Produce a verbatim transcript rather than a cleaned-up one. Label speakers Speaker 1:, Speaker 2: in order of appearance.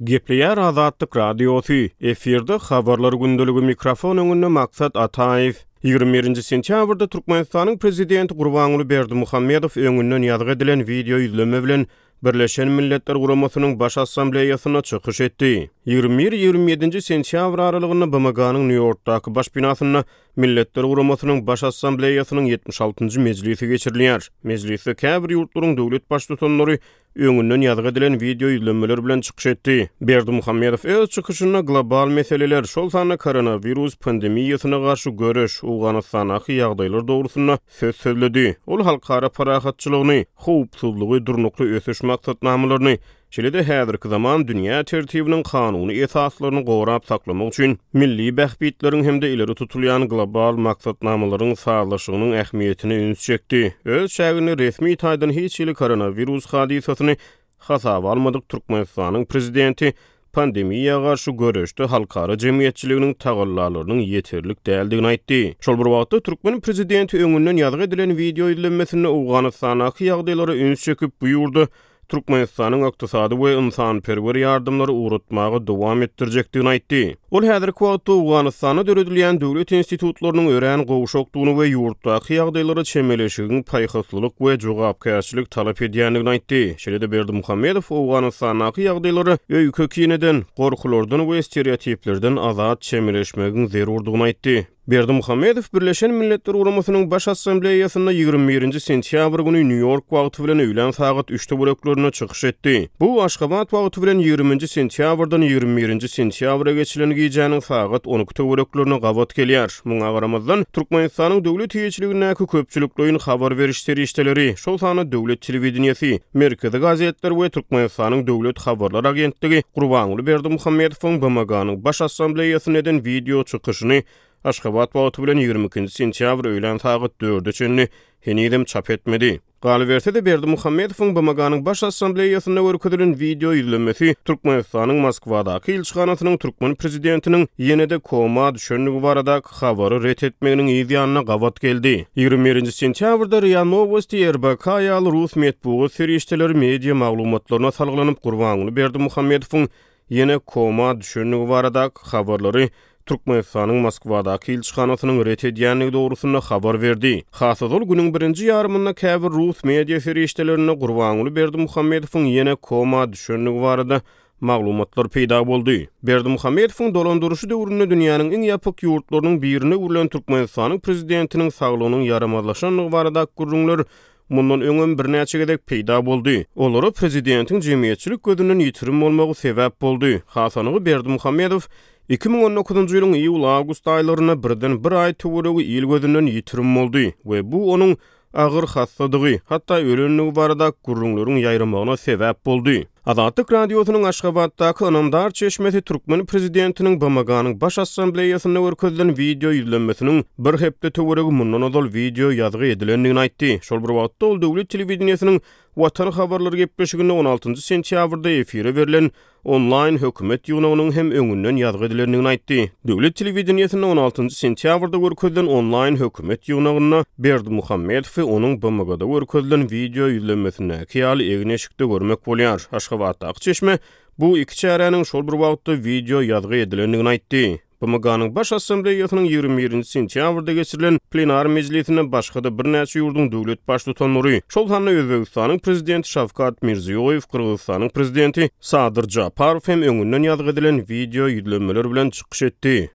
Speaker 1: Gepleýär Azatlyk Radiosy, efirde Habarlar gündeligi, mikrofon öňünde Maksat Ataýew. Ýigrimi birinji sentýabrda Türkmenistanyň Prezidenti Gurbanguly Berdimuhamedow öňünden ýazgy edilen wideo ýüzlenme bilen Birleşen Milletler Guramasynyň Baş Assambleýasynda çykyş etdi. Ýigrimi bir-ýigrimi ýedinji sentýabr aralygynda B M G-nyň Nýu-Ýorkdaky baş binasynda Milletler Guramasynyň Baş Assambleýasynyň ýetmiş altynjy mejlisi geçirilýär. Mejlisde käbir ýurtlaryň döwlet baştutanlary öňünden ýazgy edilen wideo ýüzlenmeler bilen çykyş etdi. Berdimuhamedow öz çykyşynda global meseleler, şol sanda koronawirus pandemiýasyna garşy göreş, Owganystandaky ýagdaýlar dogrusynda söz sözledi. Ol halkara parahatçylygyny, howpsuzlygy, durnukly ösüş maksatnamalaryny, şeýle-de häzirki zaman dünýä tertibiniň kanuny esaslaryny gorap saklamak üçin milli bähbitleriň hem-de ileri tutulýan global maksatnamalaryň sazlaşygynyň ähmiýetine üns çekdi. Öz çäginde resmi taýdan hiç hili koronawirus hadysasyny hasaba almadyk Türkmenistanyň prezidenti pandemiýa garşy göreşde halkara jemgyýetçiliginiň tagallalarynyň ýeterlik däldigini aýtdy. Şol bir wagtda türkmen prezidenti öňünden ýazgy edilen wideo ýüzlenmesinde Owganystandaky ýagdaýlara üns çekip, bu ýurda Türkmenistanyň ykdysady we ynsanperwer ýardamlary ugratmaga dowam etdirjekdigini aýtdy. Ol häzirki wagtda Owganystanda döredilýän döwlet institutlarynyň örän gowşakdygyny we ýurtdaky ýagdaýlara çemeleşigiň paýhaslylyk we jogapkärçilik talap edýändigini aýtdy. Şeýle-de Berdimuhamedow Owganystandaky ýagdaýlara öýke-kineden, gorkulardan we stereotiplerden azat çemeleşmegiň zerurdygyny aýtdy. Berdimuhamedow Birleşen Milletler Guramasynyň Baş Assambleýasynda ýigrimi birinji sentýabr güni Nýu-Ýork wagty bilen öýlän sagat üç töwereklerinde çykyş etdi. Bu Aşgabat wagty bilen ýigriminji sentýabrdan ýigrimi birinji sentýabra geçilen gijäniň sagat on iki töwereklerine gabat gelýär. Muňa garamazdan, Türkmenistanyň döwlet eýeçiligindäki köpçülikleýin habar beriş serişdeleri, şol sanda döwlet telewideniýesi, merkezi gazetler we Türkmenistanyň döwlet habarlar agentligi Gurbanguly Berdimuhamedowyň B M G-nyň Baş Assambleýasynda eden wideo çykyşyny Aşgabat wagty bilen ýigrimi ikinji sentýabr öýlän sagat dörde çenli henizem çap etmedi. Galyberse-de Berdimuhamedowyň B M G-nyň Baş Assambleýasynda görkezilen wideo ýüzlenmesi Türkmenistanyň Moskwadaky ilçihanasynyň türkmen prezidentiniň ýene-de koma düşendigi baradaky habary ret etmeginiň yz ýanyna gabat geldi. Ýigrimi birinji sentýabrda R I A Nowosti, R B K ýaly rus metbugat serişdeleri media maglumatlaryna salgylanyp Gurbanguly Berdimuhamedowyň ýene koma düşendigi baradaky habarlary Türkmenistanyň Moskwadaky ilçihanasynyň ret edýändigi dogrusynda habar berdi. Has ozal günüň birinji ýarymynda käbir rus media serişdelerinde Gurbanguly Berdimuhamedowyň ýene koma düşendigi barada maglumatlar peýda boldy. Berdimuhamedowyň dolandyryşy döwründe dünýäniň iň ýapyk ýurtlarynyň birine öwrülen Türkmenistanyň prezidentiniň saglygynyň ýaramazlaşandygy baradaky gürrüňler mundan öňem birnäçe gezek peýda boldy. Olara prezidentiň jemgyýetçilik gözünden ýitirim bolmagy sebäp boldy. Hasanygy Berdimuhamedow iki müň on dokuzynjy ýylyň iýul-awgust aýlarynda birden bir aý töweregi il gözünden ýitirim boldy we bu onuň agyr hassadygy, hatda ölendigi barada gürrüňleriň ýaýramagyna sebäp boldy. Azatlyk Radiosynyň Aşgabatdaky ynamdar çeşmesi türkmen prezidentiniň B M G-nyň Baş Assambleýasynda görkezilen wideo ýüzlenmesiniň bir hepde töweregi mundan ozal wideo ýazgy edilendigini aýtdy. Şol bir wagtda ol döwlet telewideniýesiniň Watan habarlary gepleşiginde on altynjy sentýabrda efire berlen onlaýn hökümet ýygnagynyň hem öňünden ýazgy edilendigini aýtdy. Döwlet telewideniýesinde on altynjy sentýabrda görkezilen onlaýn hökümet ýygnagynda Berdimuhamedowy onuň B M G-da görkezilen wideo ýüzlenmesindäki ýaly egin-eşikde görmek bolýar. Aşgabatdaky çeşme bu iki çäräniň şol bir wagtda wideo ýazgy edilendigini aýtdy. B M G-nyň Baş Assambleýasynyň ýigrimi birinji sentýabrda geçirilen plenar mejlisinde başga-da birnäçe ýurduň döwlet baştutanlary, şol sanda Özbegistanyň prezidenti Şawkat Mirziýoýew, Gyrgyzystanyň prezidenti Sadyr Japarow hem öňünden ýazgy edilen wideo ýüzlenmeler bilen çykyş etdi.